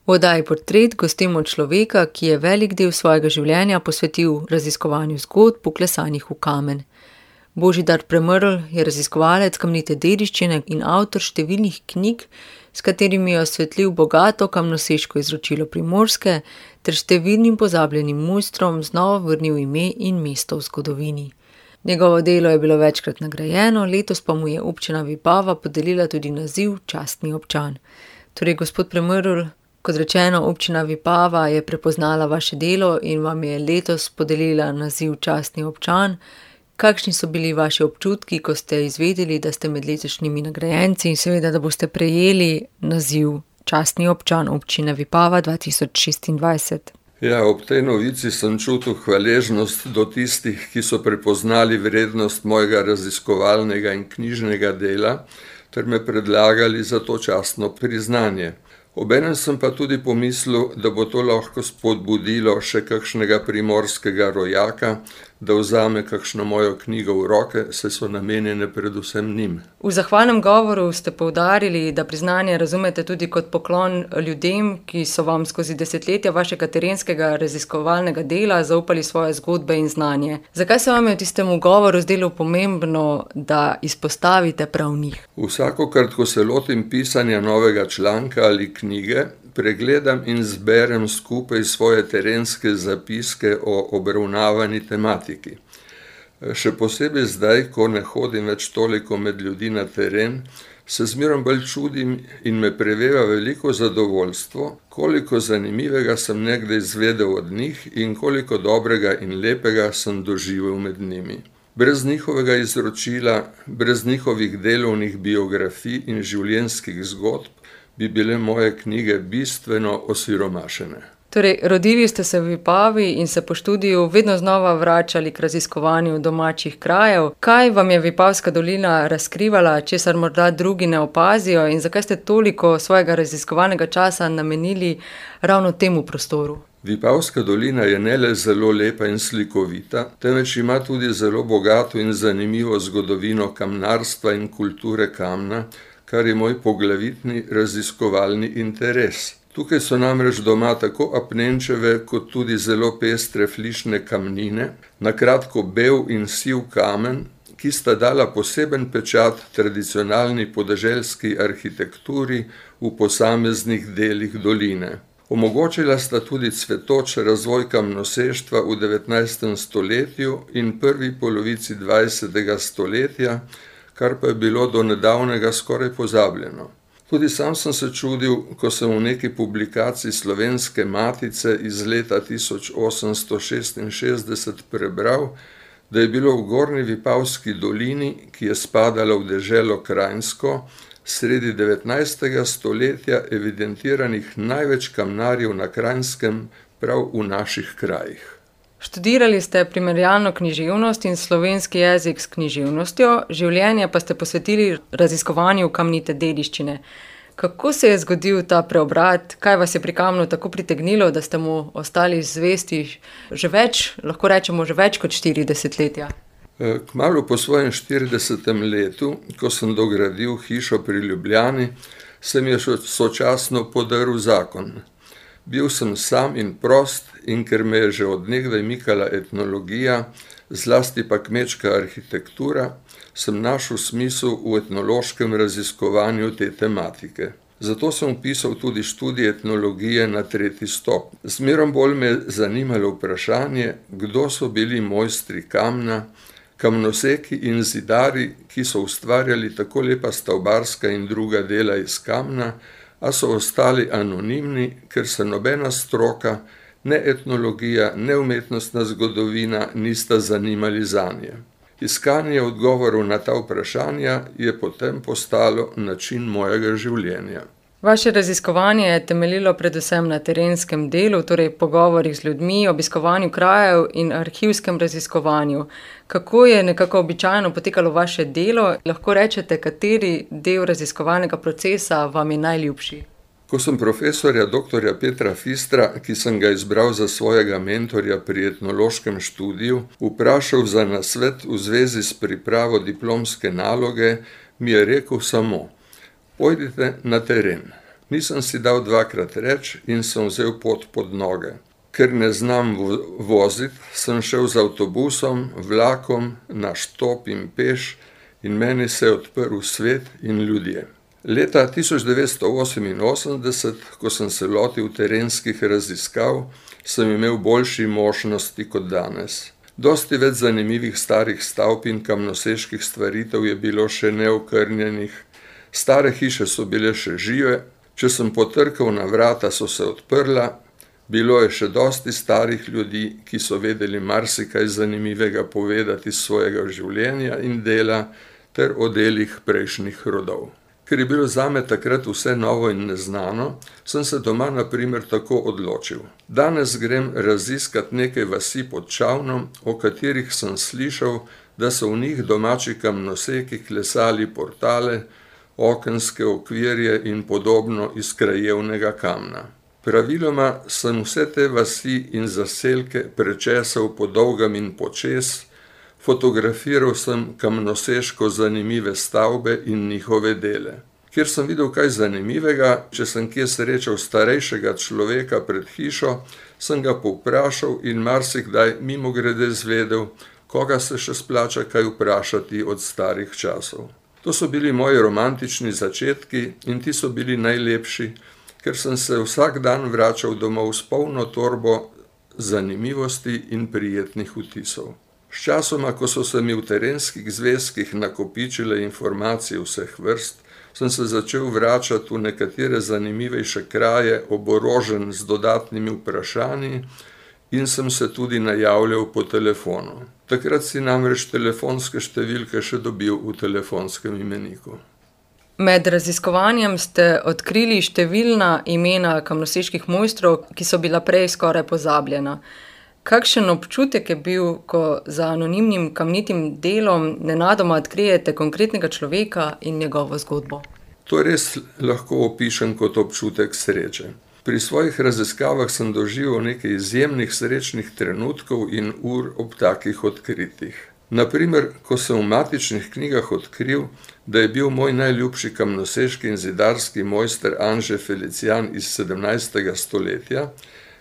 V oddaji Portret gostimo človeka, ki je velik del svojega življenja posvetil raziskovanju zgodb, vklesanih v kamen. Božidar Premrl je raziskovalec kamnite dediščine in avtor številnih knjig, s katerimi je osvetlil bogato kamnoseško izročilo Primorske ter številnim pozabljenim mojstrom znova vrnil ime in mesto v zgodovini. Njegovo delo je bilo večkrat nagrajeno, letos pa mu je občina Vipava podelila tudi naziv častni občan. Torej, gospod Premrl, kot rečeno, občina Vipava je prepoznala vaše delo in vam je letos podelila naziv častni občan. Kakšni so bili vaši občutki, ko ste izvedeli, da ste med letošnjimi nagrajenci in seveda, da boste prejeli naziv častni občan občine Vipava 2026? Ja, ob tej novici sem čutil hvaležnost do tistih, ki so prepoznali vrednost mojega raziskovalnega in knjižnega dela, ter me predlagali za to častno priznanje. Obenem sem pa tudi pomislil, da bo to lahko spodbudilo še kakšnega primorskega rojaka, da vzame kakšno mojo knjigo v roke, saj so namenjene predvsem njim. V zahvalnem govoru ste poudarili, da priznanje razumete tudi kot poklon ljudem, ki so vam skozi desetletja vašega terenskega raziskovalnega dela zaupali svoje zgodbe in znanje. Zakaj se vam je v tistem govoru zdelo pomembno, da izpostavite prav njih? Vsakokrat, ko se lotim pisanja novega članka ali knjige, pregledam in zberem skupaj svoje terenske zapiske o obravnavani tematiki. Še posebej zdaj, ko ne hodim več toliko med ljudi na teren, se zmerom bolj čudim in me preveva veliko zadovoljstvo, koliko zanimivega sem nekdaj izvedel od njih in koliko dobrega in lepega sem doživel med njimi. Brez njihovega izročila, brez njihovih delovnih biografij in življenjskih zgodb, bi bile moje knjige bistveno osiromašene. Torej, rodili ste se v Vipavi in se po študiju vedno znova vračali k raziskovanju domačih krajev. Kaj vam je Vipavska dolina razkrivala, česar morda drugi ne opazijo, in zakaj ste toliko svojega raziskovalnega časa namenili ravno temu prostoru? Vipavska dolina je ne le zelo lepa in slikovita, temveč ima tudi zelo bogato in zanimivo zgodovino kamnarstva in kulture kamna, kar je moj poglavitni raziskovalni interes. Tukaj so namreč doma tako apnenčeve kot tudi zelo pestre flišne kamnine, na kratko bel in siv kamen, ki sta dala poseben pečat tradicionalni podeželski arhitekturi v posameznih delih doline. Omogočila sta tudi cvetoč razvoj kamnoseštva v 19. stoletju in prvi polovici 20. stoletja, kar pa je bilo do nedavnega skoraj pozabljeno. Tudi sam sem se čudil, ko sem v neki publikaciji Slovenske matice iz leta 1866 prebral, da je bilo v Gornji Vipavski dolini, ki je spadala v deželo Kranjsko, sredi 19. stoletja evidentiranih največ kamnarjev na Kranjskem prav v naših krajih. Študirali ste primerjalno književnost in slovenski jezik s književnostjo, življenje pa ste posvetili raziskovanju kamnite dediščine. Kako se je zgodil ta preobrat? Kaj vas je pri kamnu tako pritegnilo, da ste mu ostali zvesti lahko rečemo, že več kot 4 desetletja? Kmalu po svojem 40. letu, ko sem dogradil hišo pri Ljubljani, se mi je sočasno podaril zakon. Bil sem sam in prost, in ker me je že od nekdaj mikala etnologija, zlasti pa kmečka arhitektura, sem našel smisel v etnološkem raziskovanju te tematike. Zato sem vpisal tudi študij etnologije na 3. stopnji. Zmerom bolj me je zanimalo vprašanje, kdo so bili mojstri kamna, kamnoseki in zidari, ki so ustvarjali tako lepa stavbarska in druga dela iz kamna, a so ostali anonimni, ker se nobena stroka, ne etnologija, ne umetnostna zgodovina nista zanimali zanje. Iskanje odgovorov na ta vprašanja je potem postalo način mojega življenja. Vaše raziskovanje je temeljilo predvsem na terenskem delu, torej pogovorih z ljudmi, obiskovanju krajev in arhivskem raziskovanju. Kako je nekako običajno potekalo vaše delo? Lahko rečete, kateri del raziskovalnega procesa vam je najljubši? Ko sem profesorja dr. Petra Fistra, ki sem ga izbral za svojega mentorja pri etnološkem študiju, vprašal za nasvet v zvezi s pripravo diplomske naloge, mi je rekel samo: pojdite na teren. Nisem si dal dvakrat reči in sem vzel pot pod noge. Ker ne znam voziti, sem šel z avtobusom, vlakom, na štop in peš in meni se je odprl svet in ljudje. Leta 1988, ko sem se lotil terenskih raziskav, sem imel boljši možnosti kot danes. Dosti več zanimivih starih stavb in kamnoseških stvaritev je bilo še neokrnjenih, stare hiše so bile še žive, če sem potrkal na vrata, so se odprla, bilo je še dosti starih ljudi, ki so vedeli marsikaj zanimivega povedati iz svojega življenja in dela ter o delih prejšnjih rodov. Ker je bilo zame takrat vse novo in neznano, sem se doma na primer tako odločil. Danes grem raziskat nekaj vasi pod Čavnom, o katerih sem slišal, da so v njih domači kamnoseki klesali portale, okenske okvirje in podobno iz krajevnega kamna. Praviloma sem vse te vasi in zaselke prečesal po dolgem in počez, fotografiral sem kamnoseško zanimive stavbe in njihove dele. Kjer sem videl kaj zanimivega, če sem kje srečal starejšega človeka pred hišo, sem ga povprašal in marsikdaj mimogrede zvedel, koga se še splača kaj vprašati od starih časov. To so bili moji romantični začetki in ti so bili najlepši, ker sem se vsak dan vračal domov s polno torbo zanimivosti in prijetnih vtisov. Sčasoma, ko so se mi v terenskih zvezkih nakopičile informacije vseh vrst, sem se začel vračati v nekatere zanimivejše kraje, oborožen z dodatnimi vprašanji in sem se tudi najavljal po telefonu. Takrat si namreč telefonske številke še dobil v telefonskem imeniku. Med raziskovanjem ste odkrili številna imena kamnoseških mojstrov, ki so bila prej skoraj pozabljena. Kakšen občutek je bil, ko za anonimnim kamnitim delom nenadoma odkrijete konkretnega človeka in njegovo zgodbo? To res lahko opišem kot občutek sreče. Pri svojih raziskavah sem doživel nekaj izjemnih srečnih trenutkov in ur ob takih odkritjih. Na primer, ko sem v matičnih knjigah odkril, da je bil moj najljubši kamnoseški in zidarski mojster Anže Felicijan iz 17. stoletja,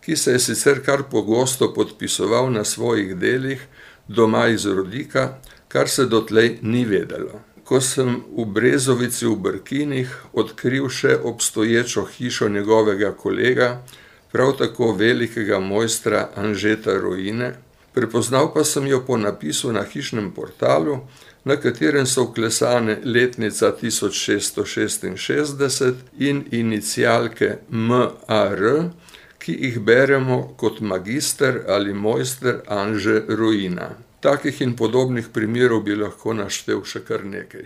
ki se je sicer kar pogosto podpisoval na svojih delih, doma iz Rodika, kar se dotlej ni vedelo. Ko sem v Brezovici v Brkinih odkril še obstoječo hišo njegovega kolega, prav tako velikega mojstra Anžeta Rojine, prepoznal pa sem jo po napisu na hišnem portalu, na katerem so vklesane letnica 1666 in inicialke MAR, ki jih beremo kot magister ali mojster Anže Rojina. Takih in podobnih primerov bi lahko naštel še kar nekaj.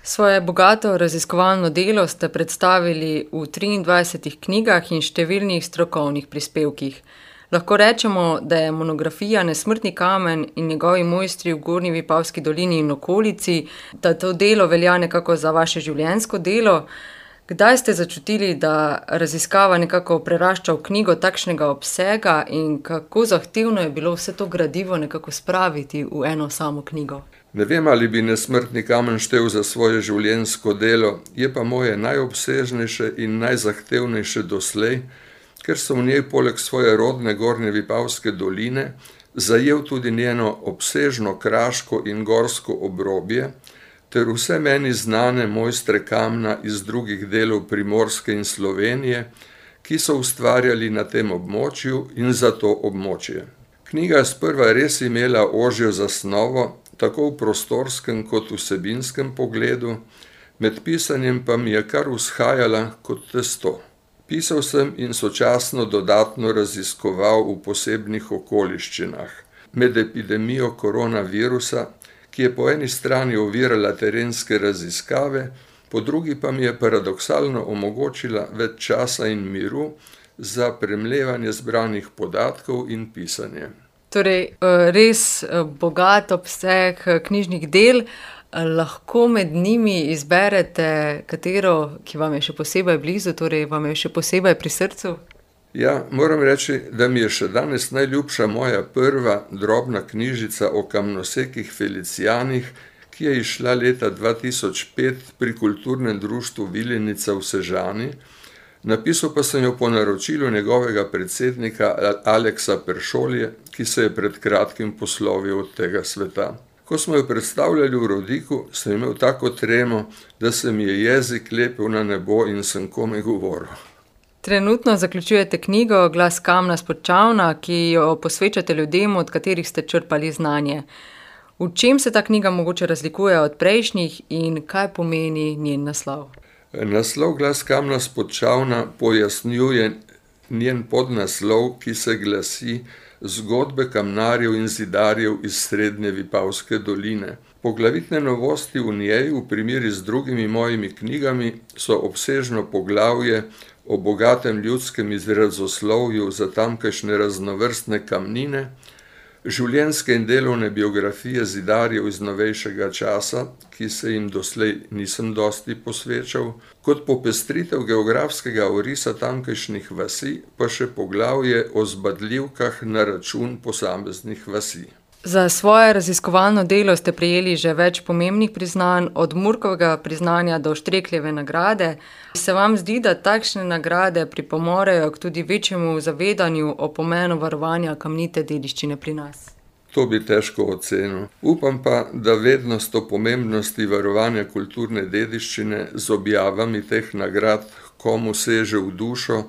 Svoje bogato raziskovalno delo ste predstavili v 23 knjigah in številnih strokovnih prispevkih. Lahko rečemo, da je monografija Nesmrtni kamen in njegovi mojstri v Gornji Vipavski dolini in okolici, da to delo velja nekako za vaše življenjsko delo. Kdaj ste začutili, da raziskava nekako prerašča v knjigo takšnega obsega in kako zahtevno je bilo vse to gradivo nekako spraviti v eno samo knjigo? Ne vem, ali bi Nesmrtni kamen štel za svoje življenjsko delo, je pa moje najobsežnejše in najzahtevnejše doslej, ker sem v njej poleg svoje rodne Gornje Vipavske doline zajel tudi njeno obsežno kraško in gorsko obrobje, ter vse meni znane mojstre kamna iz drugih delov Primorske in Slovenije, ki so ustvarjali na tem območju in za to območje. Knjiga je sprva res imela ožjo zasnovo, tako v prostorskem kot vsebinskem pogledu, med pisanjem pa mi je kar vzhajala kot testo. Pisal sem in sočasno dodatno raziskoval v posebnih okoliščinah. Med epidemijo koronavirusa, ki je po eni strani ovirala terenske raziskave, po drugi pa mi je paradoksalno omogočila več časa in miru za premlevanje zbranih podatkov in pisanje. Torej, res bogat obseg knjižnih del, lahko med njimi izberete katero, ki vam je še posebej blizu, torej vam je še posebej pri srcu? Ja, moram reči, da mi je še danes najljubša moja prva drobna knjižica o kamnosekih Felicijanih, ki je izšla leta 2005 pri Kulturnem društvu Vilenica v Sežani, Napisal pa sem jo po naročilu njegovega predsednika Aleksa Peršolje, ki se je pred kratkim poslovil od tega sveta. Ko smo jo predstavljali v Rodiku, sem imel tako tremo, da se mi je jezik lepil na nebo in sem komaj govoril. Trenutno zaključujete knjigo Glas kamna s Podčavna, ki jo posvečate ljudem, od katerih ste črpali znanje. V čem se ta knjiga mogoče razlikuje od prejšnjih in kaj pomeni njen naslov? Naslov Glas kamna s Podčavna pojasnjuje njen podnaslov, ki se glasi Zgodbe kamnarjev in zidarjev iz srednje Vipavske doline. Poglavitne novosti v njej, v primeri z drugimi mojimi knjigami, so obsežno poglavje o bogatem ljudskem izrazoslovju za tamkajšnje raznovrstne kamnine, življenjske in delovne biografije zidarjev iz novejšega časa, ki se jim doslej nisem dosti posvečal, kot popestritev geografskega orisa tamkajšnjih vasi, pa še poglavje o zbadljivkah na račun posameznih vasi. Za svoje raziskovalno delo ste prejeli že več pomembnih priznanj, od Murkovega priznanja do Štrekljeve nagrade. Se vam zdi, da takšne nagrade pripomorejo k tudi večjemu zavedanju o pomenu varovanja kamnite dediščine pri nas? To bi težko ocenil. Upam pa, da vednost o pomembnosti varovanja kulturne dediščine z objavami teh nagrad komu seže v dušo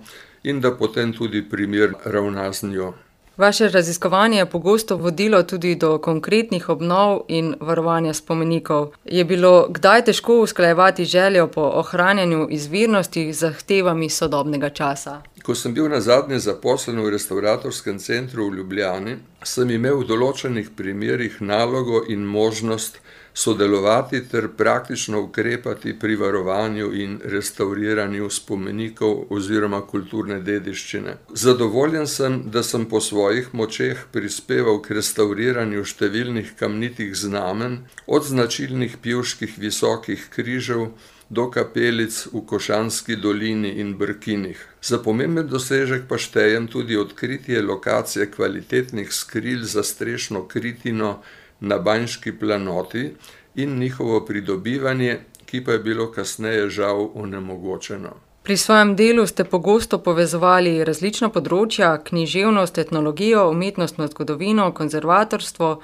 in da potem tudi primerno ravna z njo. Vaše raziskovanje je pogosto vodilo tudi do konkretnih obnov in varovanja spomenikov. Je bilo kdaj težko usklajevati željo po ohranjanju izvirnosti z zahtevami sodobnega časa? Ko sem bil nazadnje zaposlen v restavratorskem centru v Ljubljani, sem imel v določenih primerih nalogo in možnost sodelovati ter praktično ukrepati pri varovanju in restavriranju spomenikov oziroma kulturne dediščine. Zadovoljen sem, da sem po svojih močeh prispeval k restavriranju številnih kamnitih znamen, od značilnih pivških visokih križev do kapelic v Košanski dolini in Brkinih. Za pomemben dosežek pa štejem tudi odkritje lokacije kvalitetnih skril za strešno kritino na Banjški planoti in njihovo pridobivanje, ki pa je bilo kasneje žal onemogočeno. Pri svojem delu ste pogosto povezovali različna področja, književnost, etnologijo, umetnostno zgodovino, konzervatorstvo.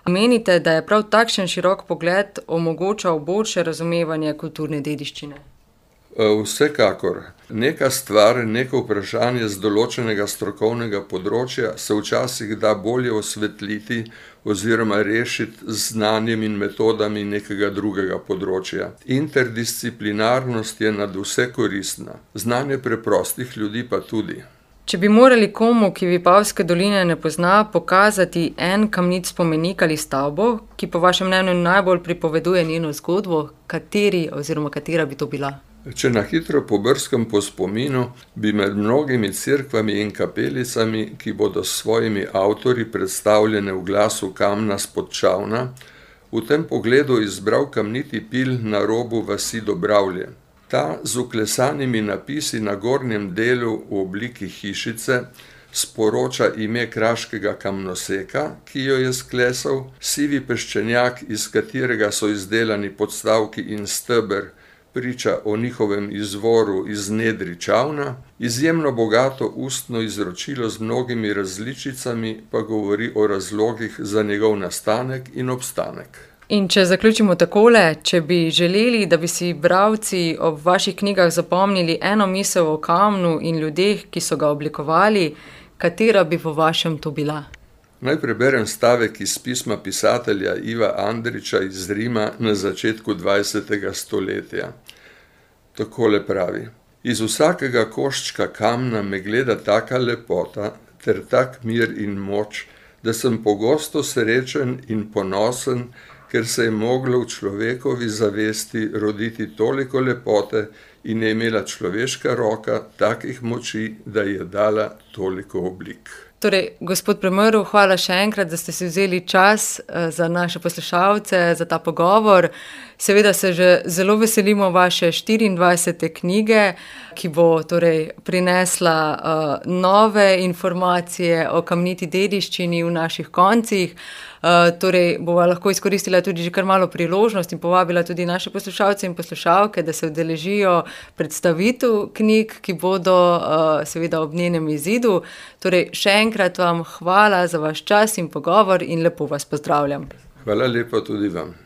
Menite, da je prav takšen širok pogled omogočal boljše razumevanje kulturne dediščine? Vsekakor. Neka stvar, neko vprašanje z določenega strokovnega področja se včasih da bolje osvetliti oziroma rešiti z znanjem in metodami nekega drugega področja. Interdisciplinarnost je nad vse koristna. Znanje preprostih ljudi pa tudi. Če bi morali komu, ki Vipavske doline ne pozna, pokazati en kamnit spomenik ali stavbo, ki po vašem mnenju najbolj pripoveduje njeno zgodbo, katera bi to bila? Če na hitro pobrskam po spominu, bi med mnogimi cerkvami in kapelicami, ki bodo s svojimi avtorji predstavljene v Glasu kamna s Podčavna, v tem pogledu izbral kamniti pil na robu vasi Dobravlje. Ta z vklesanimi napisi na gornjem delu v obliki hišice sporoča ime kraškega kamnoseka, ki jo je sklesal, sivi peščenjak, iz katerega so izdelani podstavki in steber, priča o njihovem izvoru iz nedri Čavna, izjemno bogato ustno izročilo z mnogimi različicami pa govori o razlogih za njegov nastanek in obstanek. In če zaključimo takole, če bi želeli, da bi si bralci ob vaših knjigah zapomnili eno misel o kamnu in ljudeh, ki so ga oblikovali, katera bi po vašem to bila? Naj preberem stavek iz pisma pisatelja Iva Andrića iz Rima na začetku 20. stoletja. Takole pravi: Iz vsakega koščka kamna me gleda taka lepota ter tak mir in moč, da sem pogosto srečen in ponosen, ker se je moglo v človekovi zavesti roditi toliko lepote in je imela človeška roka takih moči, da je dala toliko oblik. Torej, gospod Premrl, hvala še enkrat, da ste si vzeli čas za naše poslušalce, za ta pogovor. Seveda se že zelo veselimo vaše 24. knjige, ki bo torej prinesla nove informacije o kamniti dediščini v naših koncih. Torej bova lahko izkoristila tudi že kar malo priložnost in povabila tudi naše poslušalce in poslušalke, da se udeležijo predstavitev knjig, ki bodo seveda ob njenem izidu. Torej, še enkrat vam hvala za vaš čas in pogovor in lepo vas pozdravljam. Hvala lepa tudi vam.